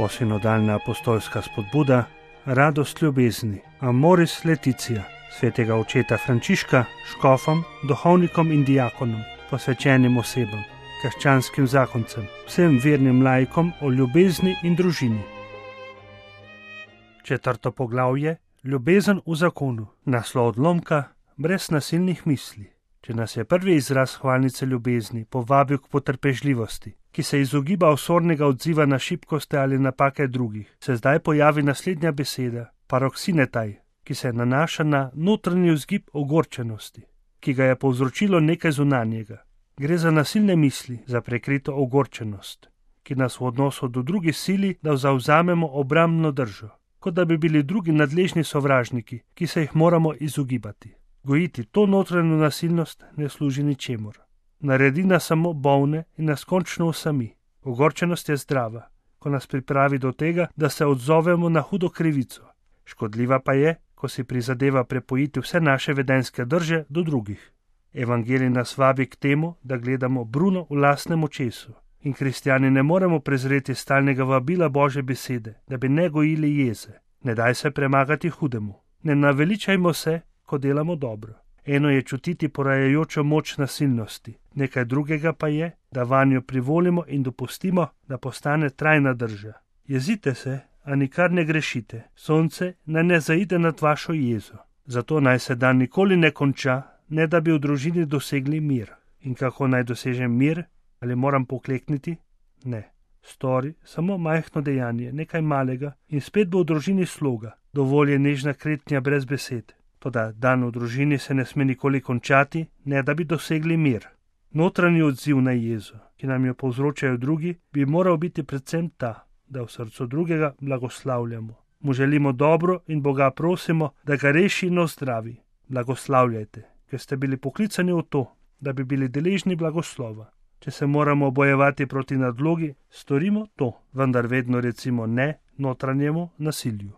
Novosinodalna apostolska spodbuda, radost ljubezni, Amoris Laetitia, svetega očeta Frančiška, škofom, duhovnikom in diakonom, posvečenim osebam, krščanskim zakoncem, vsem vernim laikom o ljubezni in družini. 4. poglavje, ljubezen v zakonu, naslov odlomka, brez nasilnih misli. Če nas je prvi izraz hvalnice ljubezni povabil k potrpežljivosti, ki se izogiba osornega odziva na šibkosti ali napake drugih, se zdaj pojavi naslednja beseda, paroksinetaj, ki se nanaša na notranji vzgib ogorčenosti, ki ga je povzročilo nekaj zunanjega. Gre za nasilne misli, za prekrito ogorčenost, ki nas v odnosu do drugih sili, da zavzamemo obrambno držo, kot da bi bili drugi nadležni sovražniki, ki se jih moramo izogibati. Gojiti to notranjo nasilnost ne služi ničemur. Naredi nas samo bolne in nas končno osami. Ogorčenost je zdrava, ko nas pripravi do tega, da se odzovemo na hudo krivico. Škodljiva pa je, ko si prizadeva prepojiti vse naše vedenjske drže do drugih. Evangelij nas vabi k temu, da gledamo bruno v lastnem očesu. In kristjani ne moremo prezreti stalnega vabila Božje besede, da bi ne gojili jeze. Ne daj se premagati hudemu. Ne naveličajmo se, ko delamo dobro. Eno je čutiti porajajočo moč nasilnosti, nekaj drugega pa je, da vanjo privolimo in dopustimo, da postane trajna drža. Jezite se, a nikar ne grešite. Sonce naj ne zaide nad vašo jezo. Zato naj se dan nikoli ne konča, ne da bi v družini dosegli mir. In kako naj dosežem mir? Ali moram poklekniti? Ne. Stori samo majhno dejanje, nekaj malega in spet bo v družini sloga. Dovolj je nežna kretnja brez besed. Toda dan v družini se ne sme nikoli končati, ne da bi dosegli mir. Notranji odziv na jezo, ki nam jo povzročajo drugi, bi moral biti predvsem ta, da v srcu drugega blagoslavljamo. Mu želimo dobro in Boga prosimo, da ga reši in ozdravi. Blagoslavljajte, ker ste bili poklicani v to, da bi bili deležni blagoslova. Če se moramo bojevati proti nadlogi, storimo to, vendar vedno recimo ne notranjemu nasilju.